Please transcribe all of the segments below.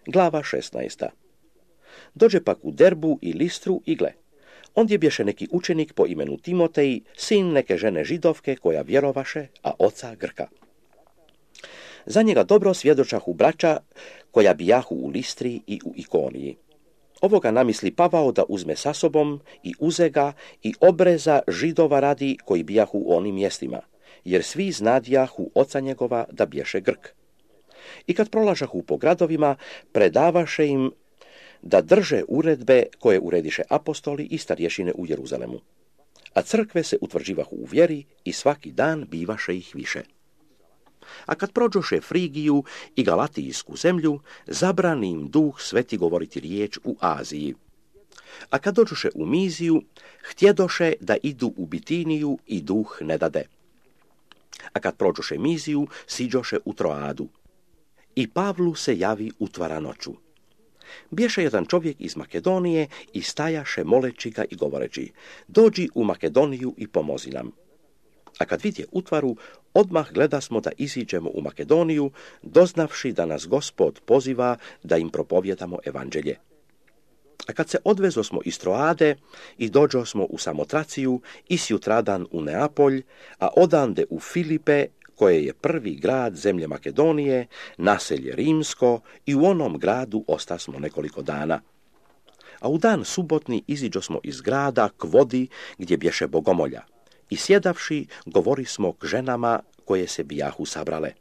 Glava 16. Dođe pak u Derbu i Listru i gle. Ondje bješe neki učenik po imenu Timotej, sin neke žene židovke koja vjerovaše, a oca Grka. Za njega dobro svjedočahu braća koja bijahu u Listri i u Ikoniji. Ovoga namisli Pavao da uzme sa sobom i uze ga i obreza Židova radi koji bijahu u onim mjestima, jer svi znadjahu oca njegova da bješe Grk. I kad prolažahu po gradovima, predavaše im da drže uredbe koje urediše apostoli i starješine u Jeruzalemu. A crkve se utvrđivahu u vjeri i svaki dan bivaše ih više. A kad prođoše Frigiju i Galatijsku zemlju, zabrani im Duh Sveti govoriti riječ u Aziji. A kad dođoše u Miziju, htjedoše da idu u Bitiniju i Duh ne dade. A kad prođoše Miziju, siđoše u Troadu. I Pavlu se javi utvara noću. Bješe jedan čovjek iz Makedonije i stajaše moleći ga i govoreći: dođi u Makedoniju i pomozi nam. A kad vidje utvaru, odmah gledasmo da iziđemo u Makedoniju, doznavši da nas Gospod poziva da im propovjedamo evanđelje. A kad se odvezosmo iz Troade i dođosmo u Samotraciju i sjutradan u Neapolj, a odande u Filipe, koje je prvi grad zemlje Makedonije, naselje rimsko, i u onom gradu ostasmo nekoliko dana. A u dan subotni iziđosmo iz grada k vodi gdje bješe bogomolja. I sjedavši, govorismo k ženama koje se bijahu sabrale.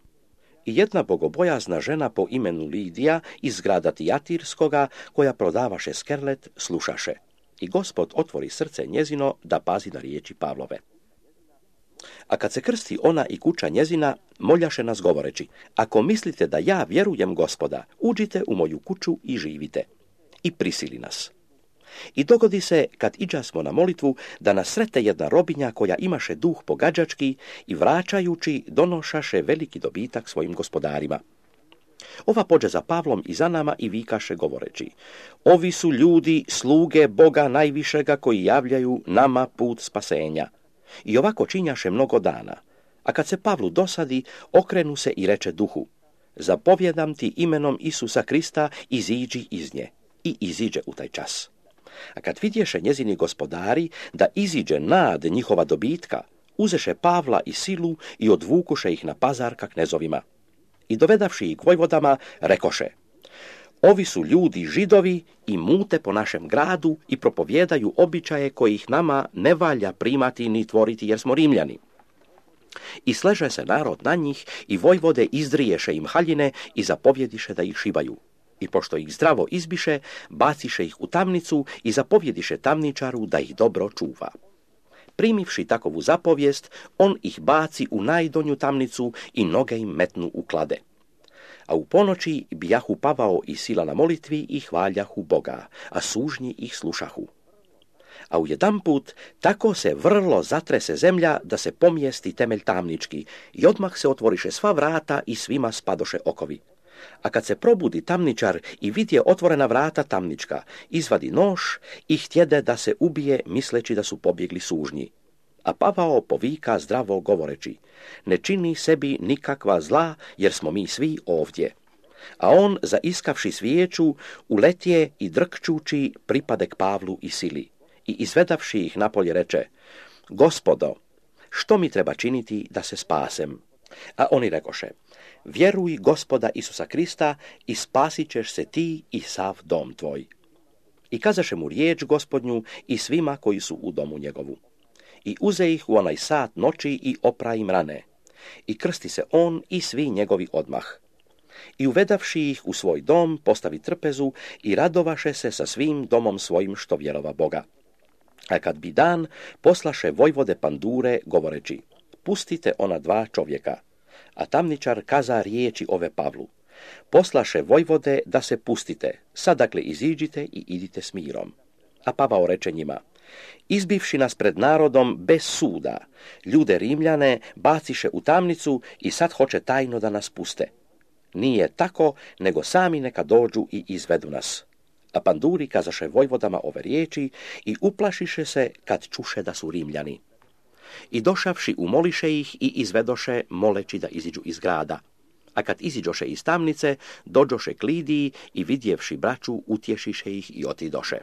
I jedna bogobojazna žena po imenu Lidija iz grada Tijatirskoga, koja prodavaše skerlet, slušaše. I Gospod otvori srce njezino da pazi na riječi Pavlove. A kad se krsti ona i kuća njezina, moljaše nas govoreći: ako mislite da ja vjerujem Gospoda, uđite u moju kuću i živite. I prisili nas. I dogodi se, kad iđasmo na molitvu, da nas srete jedna robinja koja imaše duh pogađački i vraćajući donošaše veliki dobitak svojim gospodarima. Ova pođe za Pavlom i za nama i vikaše govoreći: ovi su ljudi, sluge Boga najvišega, koji javljaju nama put spasenja. I ovako činjaše mnogo dana. A kad se Pavlu dosadi, okrenu se i reče duhu: zapovjedam ti imenom Isusa Krista, iziđi iz nje. I iziđe u taj čas. A kad vidješe njezini gospodari da iziđe nad njihova dobitka, uzeše Pavla i Silu i odvukuše ih na pazar ka knezovima. I dovedavši ih k vojvodama, rekoše: ovi su ljudi Židovi i mute po našem gradu i propovjedaju običaje kojih nama ne valja primati ni tvoriti, jer smo Rimljani. I sleže se narod na njih i vojvode izdriješe im haljine i zapovjediše da ih šibaju. I pošto ih zdravo izbiše, baciše ih u tamnicu i zapovjediše tamničaru da ih dobro čuva. Primivši takovu zapovijest, on ih baci u najdonju tamnicu i noge im metnu u klade. A u ponoći bijahu Pavao i Sila na molitvi i hvaljahu Boga, a sužnji ih slušahu. A ujedanput tako se vrlo zatrese zemlja da se pomijesti temelj tamnički i odmah se otvoriše sva vrata i svima spadoše okovi. A kad se probudi tamničar i vidje otvorena vrata tamnička, izvadi nož i htjede da se ubije, misleći da su pobjegli sužnji. A Pavao povika zdravo govoreći: ne čini sebi nikakva zla, jer smo mi svi ovdje. A on, zaiskavši svijeću, uletije i drkčući pripade k Pavlu i Sili. I izvedavši ih napolje reče: Gospodo, što mi treba činiti da se spasem? A oni rekoše: vjeruj Gospoda Isusa Krista i spasit ćeš se ti i sav dom tvoj. I kazaše mu riječ Gospodnju i svima koji su u domu njegovu. I uze ih u onaj sat noći i opra im rane. I krsti se on i svi njegovi odmah. I uvedavši ih u svoj dom, postavi trpezu i radovaše se sa svim domom svojim što vjerova Boga. A kad bi dan, poslaše vojvode Pandure govoreći: pustite ona 2 čovjeka. A tamničar kaza riječi ove Pavlu: poslaše vojvode da se pustite, sad dakle iziđite i idite s mirom. A Pavao reče njima: izbivši nas pred narodom bez suda, ljude Rimljane baciše u tamnicu i sad hoće tajno da nas puste. Nije tako, nego sami neka dođu i izvedu nas. A Panduri kazaše vojvodama ove riječi i uplašiše se kad čuše da su Rimljani. I došavši umoliše ih i izvedoše, moleći da iziđu iz grada. A kad iziđoše iz tamnice, dođoše k Lidiji i vidjevši braću, utješiše ih i otidoše.